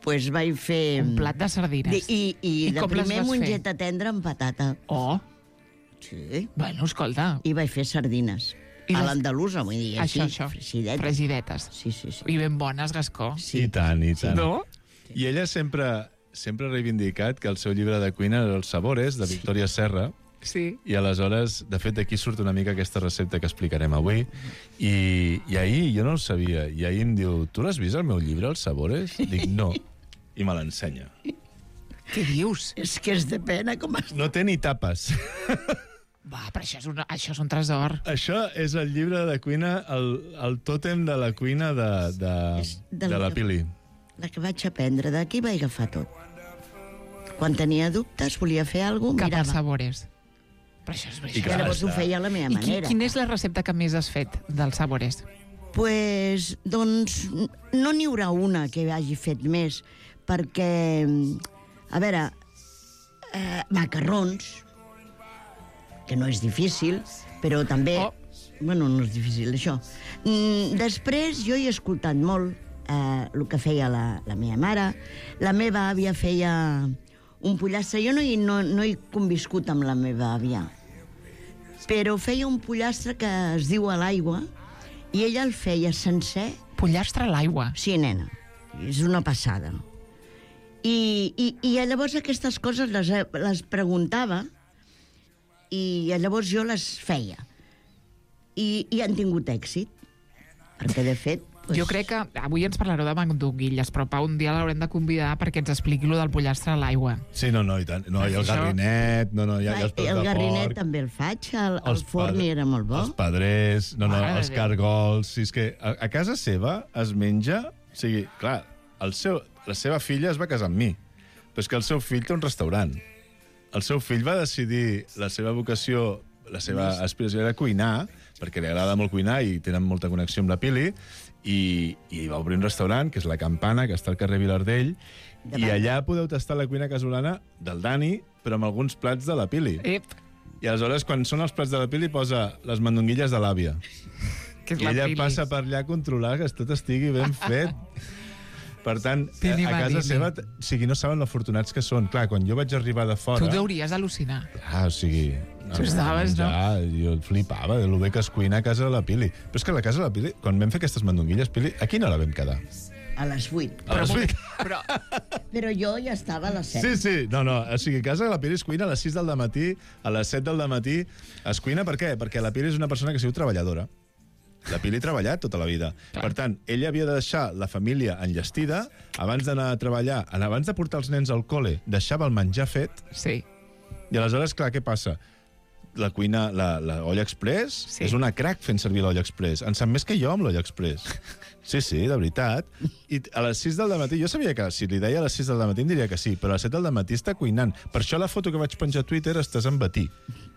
pues vaig fer... Un plat de sardines. I de primer mongeta tendra amb patata. Oh! Sí. Bueno, escolta. I vaig fer sardines. A l'andalusa, vull dir, així, fresidetes. Sí. I ben bones, Gascó. I tant. No? I ella sempre ha reivindicat que el seu llibre de cuina era Els sabores, de Victòria Serra. Sí. I aleshores, de fet, d'aquí surt una mica aquesta recepta que explicarem avui. I ahir, jo no ho sabia, i ahir em diu, tu l'has vist el meu llibre, Els sabores? Dic, no. I me l'ensenya. Què dius? És que és de pena com es... No té ni tapes. Va, però això és un tresor. Això és el llibre de cuina, el tòtem de la cuina de la Pili. La que vaig aprendre, d'aquí vaig agafar tot. Quan tenia dubtes, volia fer alguna cosa, mirava. Cap als sabores. Però això és veritat. I llavors ho feia a la meva manera. I quina és la recepta que més has fet dels sabores? Pues, doncs, no n'hi haurà una que hagi fet més, perquè, a veure, macarrons, que no és difícil, però també... Bueno, no és difícil, això. Després, jo he escoltat molt el que feia la meva mare. La meva àvia feia un pollastre. Jo no he conviscut amb la meva àvia, però feia un pollastre que es diu a l'aigua i ella el feia sencer. Pollastre a l'aigua? Sí, nena. És una passada. I llavors aquestes coses les preguntava i llavors jo les feia. I han tingut èxit. Perquè, de fet... Jo crec que avui ens parlareu de mandonguilles, però Pau, un dia l'haurem de convidar perquè ens expliqui lo del pollastre a l'aigua. Sí, no, i tant. No, i el garrinet, hi ha els peus de porc. El garrinet també el faig, el forn era molt bo. Els pedrers, els cargols... Si és que a casa seva es menja... O sigui, clar, la seva filla es va casar amb mi, però és que el seu fill té un restaurant. El seu fill va decidir la seva vocació, la seva aspiració era cuinar, perquè li agrada molt cuinar i tenen molta connexió amb la Pili, i va obrir un restaurant, que és La Campana, que està al carrer Vilardell, i allà podeu tastar la cuina casolana del Dani, però amb alguns plats de la Pili. I aleshores, quan són els plats de la Pili, posa les mandonguilles de l'àvia. I ella passa per allà a controlar que tot estigui ben fet. Per tant, a casa seva, o sigui, no saben lo afortunats que són. Clar, quan jo vaig arribar de fora... Tu deuries al·lucinar. O sigui... Tu estaves, no? Jo flipava de lo bé que es cuina a casa de la Pili. Però és que a la casa de la Pili, quan vam fer aquestes mandonguilles, Pili, a quina hora vam quedar? A les 8. A les 8? Però jo ja estava a les 7. Sí. No, o sigui, a casa de la Pili es cuina a les 6 del matí, a les 7 del matí. Es cuina per què? Perquè la Pili és una persona que ha sigut treballadora. La Pili ha treballat tota la vida. Clar. Per tant, ella havia de deixar la família enllestida abans d'anar a treballar, abans de portar els nens al col·le, deixava el menjar fet. Sí. I aleshores, clar, què passa? La cuina, l'olla express, és una crac fent servir l'olla express. En sap més que jo amb l'olla express. Sí, de veritat. I a les 6 del matí, jo sabia que si li deia a les 6 del matí em diria que sí, però a les 7 del matí està cuinant. Per això la foto que vaig penjar a Twitter estàs en batí,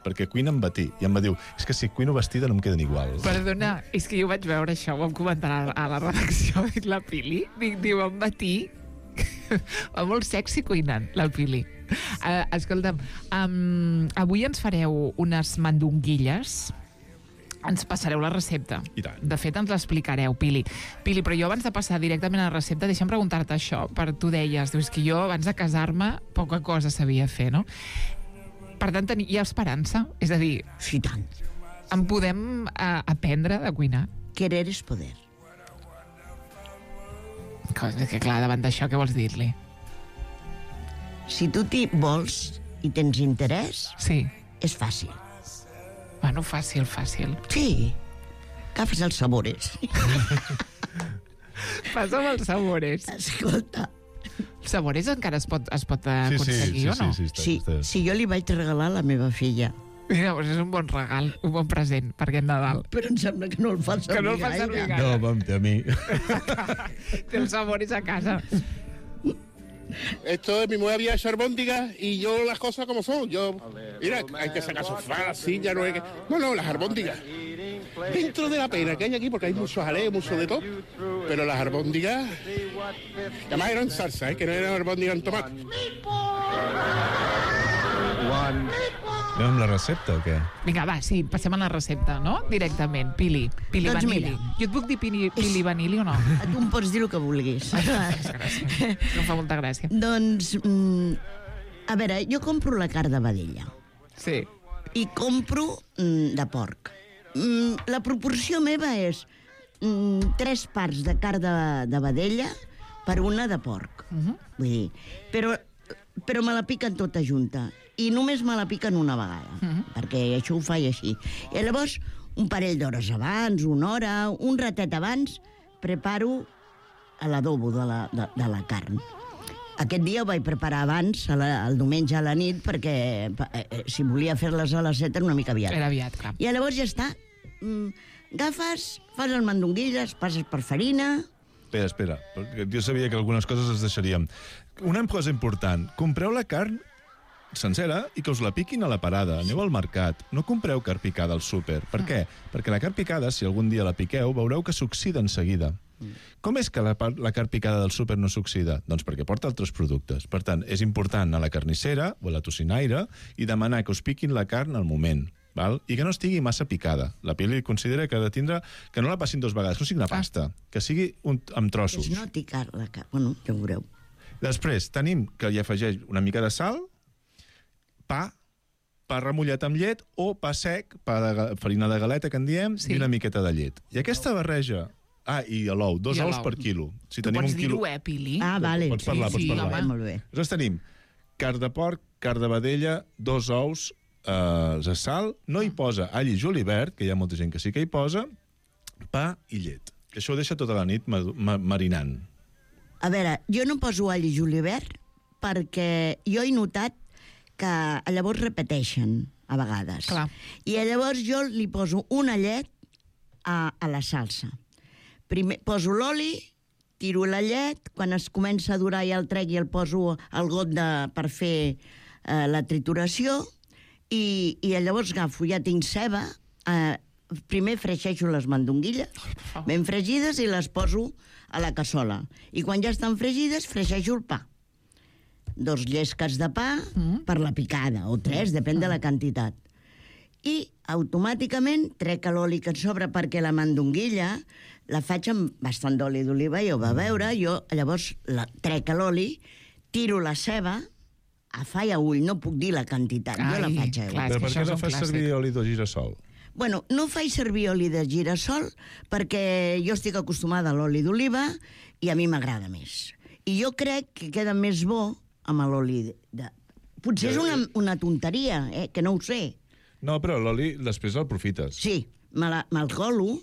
perquè cuina en batí. I em va dir, és que si cuino vestida no em queden igual. Perdona, és que jo vaig veure això, ho vam comentar a la redacció, la Pili, diu en batí, va molt sexy cuinant, la Pili. Escolta'm, avui ens fareu unes mandonguilles. Ens passareu la recepta. I tant. De fet, ens l'explicareu, Pili. Pili, però jo abans de passar directament a la recepta, deixa'm preguntar-te això, tu deies, dius que jo abans de casar-me poca cosa sabia fer, no? Per tant, hi ha esperança? És a dir... Sí, tant. En podem aprendre a cuinar? Querer és poder. Que clar, davant d'això, què vols dir-li? Si tu t'hi vols i tens interès, sí, és fàcil. Bueno, fàcil. Sí. Agafes els sabores. Passa'm els sabores. Escolta. Els sabores encara es pot aconseguir, o no? Sí, jo li vaig regalar a la meva filla. Mira, doncs és un bon regal, un bon present per aquest Nadal. Però em sembla que no el fa servir gaire. No, vam a mi. Té els sabores a casa. Esto es, mi mujer había hecho albóndigas y yo las cosas como son. Mira, hay que sacar sofá, silla, no hay que... No, las albóndigas. Dentro de la pena que hay aquí, porque hay mucho jaleo, mucho de todo, pero las albóndigas, además eran salsa, que no eran albóndigas en tomate. Anem amb la recepta o què? Vinga, va, sí, passem a la recepta, no? Directament, Pili Doncs Vanilli. mira. Jo et puc dir Pili Vanilli o no? Tu em pots dir el que vulguis. Em fa molta gràcia. Doncs, a veure, jo compro la carn de vedella. Sí. I compro de porc. La proporció meva és 3 parts de carn de vedella per una de porc. Vull dir, però me la piquen tota junta. I només me la piquen una vegada, perquè això ho faig així. I llavors, un parell d'hores abans, una hora, un ratet abans, preparo l'adobo de la carn. Aquest dia ho vaig preparar abans, el diumenge a la nit, perquè si volia fer-les a les 7 era una mica aviat. Era aviat, clar. I llavors ja està. Agafes, fas les mandonguilles, passes per farina... Espera, perquè jo sabia que algunes coses les deixaríem. Una cosa important, compreu la carn sencera i que us la piquin a la parada. Aneu al mercat. No compreu carn picada al súper. Per què? Perquè la carn picada, si algun dia la piqueu, veureu que s'oxida en seguida. Com és que la carn picada del súper no s'oxida? Doncs perquè porta altres productes. Per tant, és important anar a la carnissera o a la tocinaire i demanar que us piquin la carn al moment. Val? I que no estigui massa picada. La Pili considera que ha de tindre... que no la passin 2 vegades, que no sigui una pasta, que sigui amb trossos. És no picar la carn. Bueno, ja ho veureu. Després tenim que hi afegeix una mica de sal, pa remullat amb llet o pa sec, farina de galeta, que en diem, i una miqueta de llet. I aquesta barreja... i l'ou, 2 ous per quilo. Si tu pots dir-ho, Pili? Vale. Pots parlar. Molt bé. Llavors tenim carn de porc, carn de vedella, 2 ous, de sal, no hi posa all i julivert, que hi ha molta gent que sí que hi posa, pa i llet. Que això ho deixa tota la nit marinant. A veure, jo no poso all i julivert perquè jo he notat que llavors repeteixen a vegades. Clar. I llavors jo li poso una llet a la salsa. Primer poso l'oli, tiro la llet, quan es comença a durar ja el trec i el poso al got per fer la trituració, i llavors agafo, ja tinc ceba, primer freixeixo les mandonguilles, ben fregides, i les poso a la cassola. I quan ja estan fregides, freixeixo el pa. 2 llesques de pa per la picada, o 3, depèn de la quantitat. I automàticament trec l'oli que et sobra, perquè la mandonguilla la faig amb bastant d'oli d'oliva, ja ho va veure, jo llavors trec l'oli, tiro la ceba, a fa i a ull, no puc dir la quantitat, jo la faig a ull. Però per què no fas servir oli de girassol? Bueno, no faig servir oli de girassol perquè jo estic acostumada a l'oli d'oliva i a mi m'agrada més. I jo crec que queda més bo amb l'oli de... Potser és una tonteria, que no ho sé. No, però l'oli després el profites. Sí, me'l colo,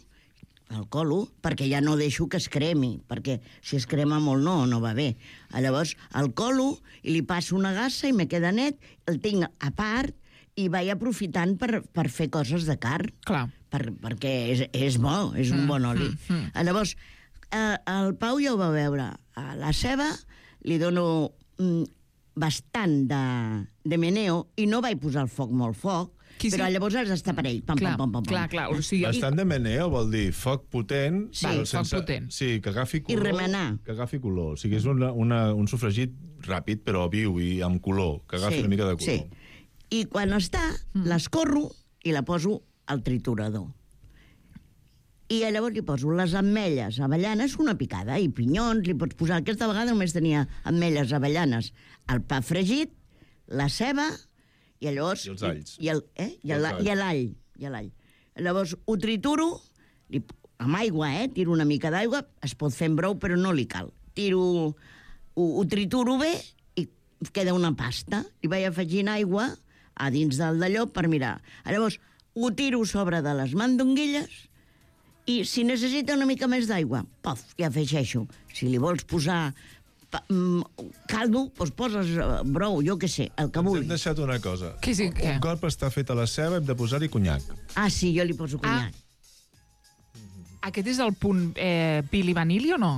perquè ja no deixo que es cremi, perquè si es crema molt no va bé. Llavors el colo i li passo una gassa i me queda net, el tinc a part i vaig aprofitant per fer coses de carn. Clar. Perquè és bo, és un bon oli. Llavors, el Pau ja ho va veure. A la ceba li dono bastant de meneo i no vaig posar el foc molt foc, però llavors has d'estar per ell. Clar. O sigui, bastant de meneo vol dir foc potent. Sí, foc potent. Sí, que agafi color. I remenar. Que agafi color. O sigui, és un sofregit ràpid, però viu i amb color. Que agafi una mica de color. Sí. I quan està, l'escorro i la poso al triturador. I llavors li poso les ametlles, avellanes, una picada, i pinyons, li pots posar... Aquesta vegada només tenia ametlles, avellanes, el pa fregit, la ceba, i llavors... I els alls. I l'all. Llavors ho trituro, amb aigua, tiro una mica d'aigua, es pot fer en brou, però no li cal. ho trituro bé i queda una pasta. I vaig afegint aigua a dins del d'allò per mirar. Llavors, ho tiro sobre de les mandonguilles i si necessita una mica més d'aigua, pof, ja afegeixo. Si li vols posar caldo, doncs poses brou, jo què sé, el que vulguis. Hem deixat una cosa. Què? Un cop està feta la ceba, hem de posar-hi conyac. Ah, sí, jo li poso conyac. Aquest és el punt Pili Vanilli o no?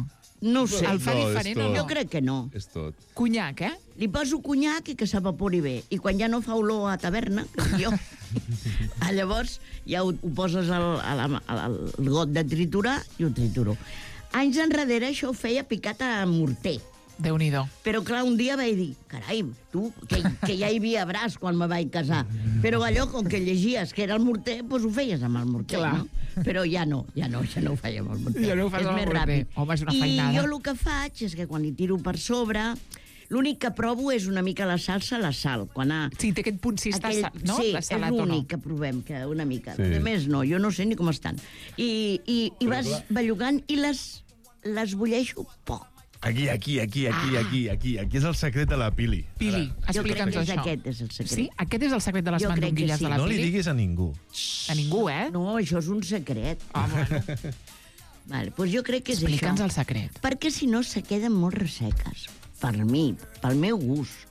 No ho sé. El fa diferent o no? Jo crec que no. És tot. Conyac, Li poso conyac i que s'evapori bé. I quan ja no fa olor a taverna, com jo, llavors ja ho poses al got de triturar i ho trituro. Anys enrere això ho feia picat a morter. Déu-n'hi-do. Però clar, un dia vaig dir, carai, tu, que ja hi havia braç quan me vaig casar. Però allò, com que llegies que era el morter, doncs ho feies amb el morter, clar. no? Però ja no ho feia amb el morter. Ja no ho fas amb el morter. Ràpid. Home, és una feinada. I jo el que faig és que quan li tiro per sobre, l'únic que provo és una mica la salsa, la sal. Sí, té aquest punt si està sal, no? Sí, és l'únic que provem, que una mica. Sí. A més, no, jo no sé ni com estan. I vas bellugant i les bulleixo poc. Aquí és el secret de la Pili. Pili, explica'ns això. Aquest és el secret. Sí? Aquest és el secret de les mandonguilles de la No Pili? li diguis a ningú. A ningú, No, això és un secret. Bueno. Vale, doncs jo crec que és Explica'ns això. el secret. Perquè si no se queden molt resseques. Per mi, pel meu gust.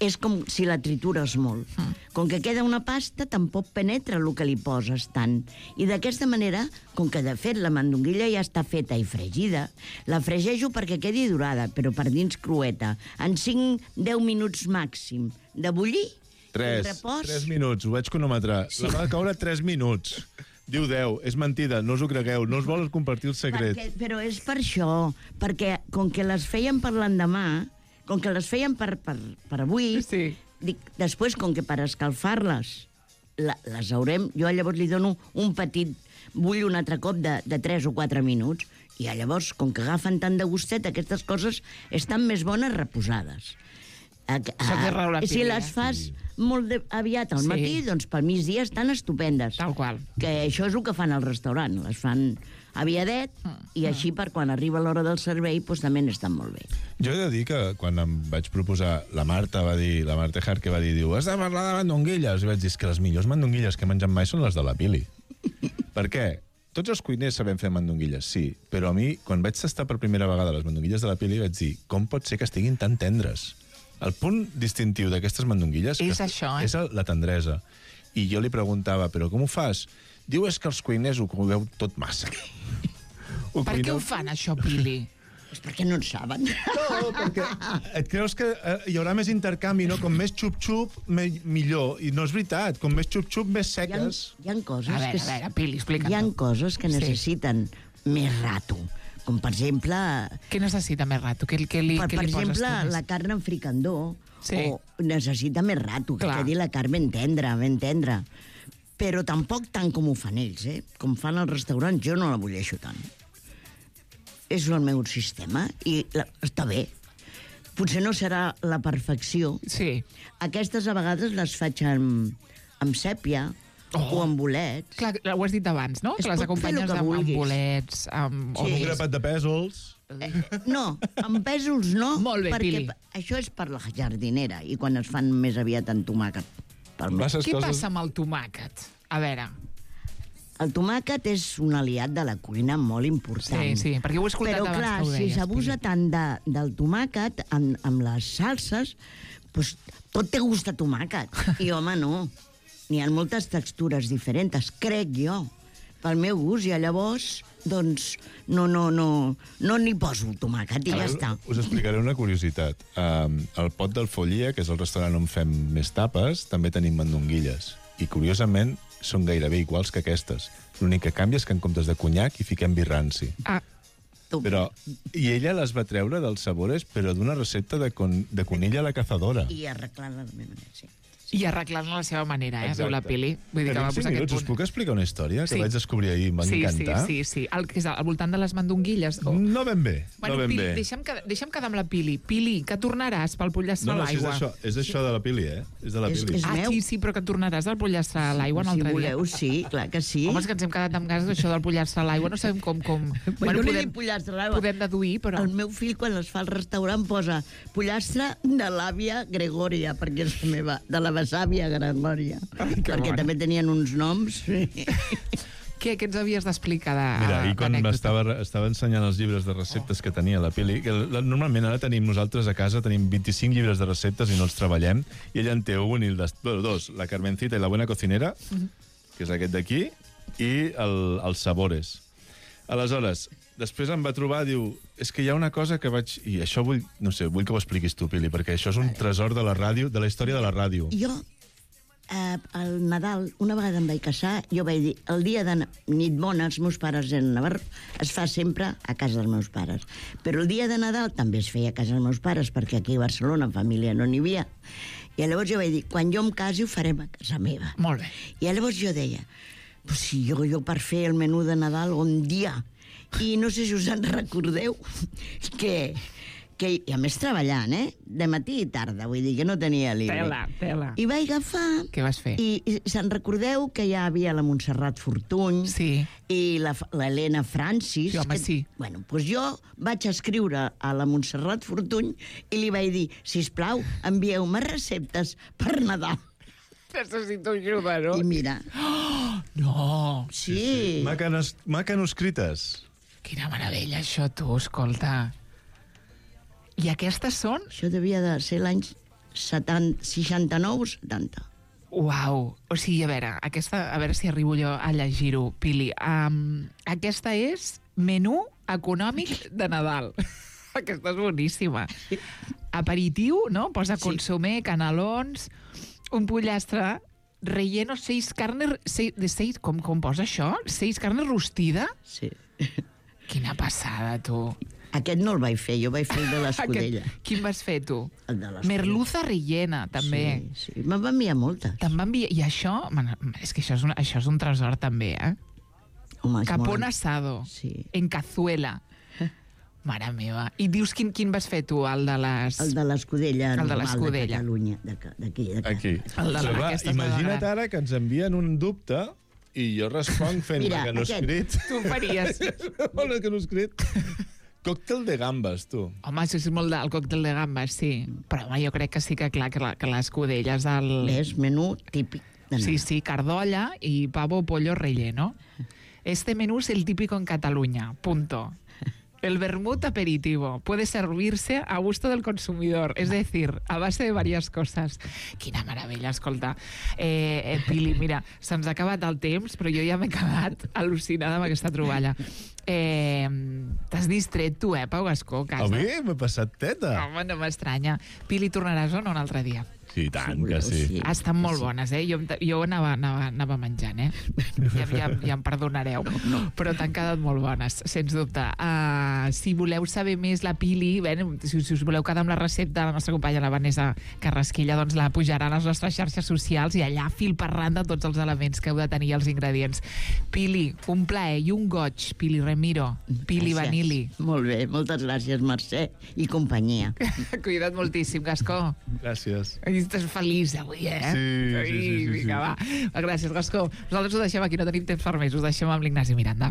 És com si la tritures molt. Com que queda una pasta, tampoc penetra el que li poses tant. I d'aquesta manera, com que de fet la mandonguilla ja està feta i fregida, la fregeixo perquè quedi dorada, però per dins crueta. En 5-10 minuts màxim de bullir, 3 minuts, ho vaig cronometrar. Sí. La va caure 3 minuts. Diu 10, és mentida, no us ho cregueu, no us vols compartir el secret. Però és per això, perquè com que les feien per l'endemà, com que les feien per avui, sí. Dic, després, com que per escalfar-les les haurem, jo llavors li dono un petit bull un altre cop de 3 o 4 minuts, i llavors, com que agafen tant de gustet, aquestes coses estan més bones reposades. Si les fas molt aviat al matí, doncs pel migdia estan estupendes. Tal qual. Que això és el que fan al restaurant, les fan aviadet, i així per quan arriba l'hora del servei doncs també n'estan molt bé. Jo he de dir que quan em vaig proposar, la Marta Jarque va dir, diu, has de parlar de mandonguilles. I vaig dir, que les millors mandonguilles que he menjat mai són les de la Pili. Per què? Tots els cuiners sabem fer mandonguilles, sí, però a mi, quan vaig tastar per primera vegada les mandonguilles de la Pili, vaig dir, com pot ser que estiguin tan tendres? El punt distintiu d'aquestes mandonguilles és això, és la tendresa. I jo li preguntava, però com ho fas? Diu, és que els cuiners ho cuineu tot massa. Per què ho fan, això, Pili? És perquè no en saben. No, perquè et creus que hi haurà més intercanvi, no? Com més xup-xup, millor. I no és veritat, com més xup-xup, més seques. Hi ha coses a veure, Pili, explica'm. Hi ha coses que necessiten més rato. Com, per exemple... Què necessita més rato? Què li per poses exemple, tu? la carn en fricandó Sí. necessita més rato, que quedi la carn ben tendra. Però tampoc tant com ho fan ells, Com fan als restaurants, jo no la bulleixo tant. És el meu sistema i està bé. Potser no serà la perfecció. Sí. Aquestes a vegades les faig amb sèpia, o amb bolets. Clar, ho has dit abans, no? Que les acompanyes amb bolets, amb... Un grapat de pèsols. No, amb pèsols no. Molt bé, perquè Pili. això és per la jardinera i quan es fan més aviat en tomàquet. Què passa amb el tomàquet? A veure... El tomàquet és un aliat de la cuina molt important. Sí, perquè ho he escoltat abans que ho deies. Però clar, si s'abusa tant del tomàquet amb les salses, doncs tot té gust a tomàquet. I home, no. N'hi ha moltes textures diferents, crec jo, pel meu gust, i llavors, doncs, no n'hi poso tomàquet i ja està. Us explicaré una curiositat. Al Pot del Follia, que és el restaurant on fem més tapes, també tenim mandonguilles. I, curiosament, són gairebé iguals que aquestes. L'únic que canvia és que en comptes de conyac hi fiquem vi ranci. I ella les va treure dels sabores, però d'una recepta de conill a la cazadora. I arreglant-la de la meva manera, sí. I arreglant a la seva manera, diu la Pili. Vull dir que va posar aquest punt. Us puc explicar una història que vaig descobrir ahir i em va encantar? Sí. Que és al voltant de les mandonguilles. No ben bé. Pili, deixa'm quedar amb la Pili. Pili, que tornaràs pel pollastre a l'aigua. No, és això de la Pili, És de la Pili. Sí, però que tornaràs del pollastre a l'aigua un altre dia. Si voleu, sí, clar que sí. Home, és que ens hem quedat amb ganes d'això del pollastre a l'aigua. No sabem com... Bueno, podem deduir, però... El meu fill, quan es fa al restaurant, posa pollastre de l'àvia Gregòria, perquè és la meva, de la besàvia Gregòria. Perquè també tenien uns noms. Què ens havies d'explicar Mira, ahir quan estava ensenyant els llibres de receptes que tenia la Pili, que normalment ara tenim nosaltres a casa, tenim 25 llibres de receptes i no els treballem, i ella en té un i dos, la Carmencita i la Buena Cocinera, que és aquest d'aquí, i els Sabores. Aleshores, després em va trobar, diu, és que hi ha una cosa que vaig... I això vull que ho expliquis tu, Pili, perquè això és un tresor de la ràdio, de la història de la ràdio. Jo, al Nadal, una vegada em vaig casar, jo vaig dir, el dia de nit bona, els meus pares eren a Navarro, es fa sempre a casa dels meus pares. Però el dia de Nadal també es feia a casa dels meus pares, perquè aquí a Barcelona, família, no n'hi havia. I llavors jo vaig dir, quan jo em casi ho farem a casa meva. Molt bé. I llavors jo deia, pues si jo per fer el menú de Nadal un dia, i no sé si us en recordeu, que i a més treballant, de matí i tarda, vull dir que no tenia libre. Tela. I vaig agafar... Què vas fer? I se'n recordeu que ja havia la Montserrat Fortuny i l'Helena Francis. Sí, home, sí. Bueno, doncs jo vaig escriure a la Montserrat Fortuny i li vaig dir, sisplau, envieu-me receptes per Nadal. Necessito ajuda, no? I mira... No! Sí. Macanoscrites. Quina meravella, això, tu, escolta. I aquestes són? Això devia de ser l'any 69 70. Uau! O sigui, a veure si arribo jo a llegir-ho, Pili. Aquesta és menú econòmic de Nadal. Aquesta és boníssima. Aperitiu, no? Posa consomé, canelons, un pollastre relleno 6 carnes... Com posa això? 6 carnes rostida? Sí. Quina passada, tu. Aquest no el vaig fer, jo vaig fer el de l'escudella. Quin vas fer, tu? El de l'escudella. Merluza rellena, també. Sí. Me'n va enviar moltes. Te'n va enviar... I això... És que això és un tresor, també, Home, Capón asado. Sí. En cazuela. Mare meva. I dius quin vas fer tu, el de les... El de l'escudella normal de Catalunya, d'aquí. Aquí. Imagina't ara que ens envien un dubte i jo responc fent mecanoscrit. Tu faries. Mecanoscrit. Còctel de gambes, tu. Home, això és molt del còctel de gambes, sí. Però home, jo crec que sí que clar, que l'escudella és el... És menú típic. Sí, cardolla y pavo pollo relleno. Este menú es el típico en Cataluña, punto. El vermut aperitivo puede servirse a gusto del consumidor, es decir, a base de varias cosas. Quina meravella, escolta. Pili, mira, se'ns ha acabat el temps, però jo ja m'he quedat al·lucinada amb aquesta troballa. T'has distret tu, Pau Gascó, a casa? A mi m'he passat teta. Home, no m'estranya. Pili, tornaràs o no un altre dia? Sí, tant que sí. Estan molt bones, Jo anava menjant, Ja em perdonareu. Però t'han quedat molt bones, sens dubte. Si voleu saber més la Pili, si us voleu quedar amb la recepta de la nostra companya, la Vanessa Carrasquilla, doncs la pujarà a les nostres xarxes socials i allà fil per randa tots els elements que heu de tenir, els ingredients. Pili, un plaer i un goig, Pili Remiro, Pili Vanili. Molt bé, moltes gràcies, Mercè i companyia. Cuida't moltíssim, Gascó. Gràcies. Estàs feliç avui, Sí. Vinga, va. Gràcies, Gascó. Nosaltres ho deixem aquí, no tenim temps per més. Us deixem amb l'Ignasi Miranda.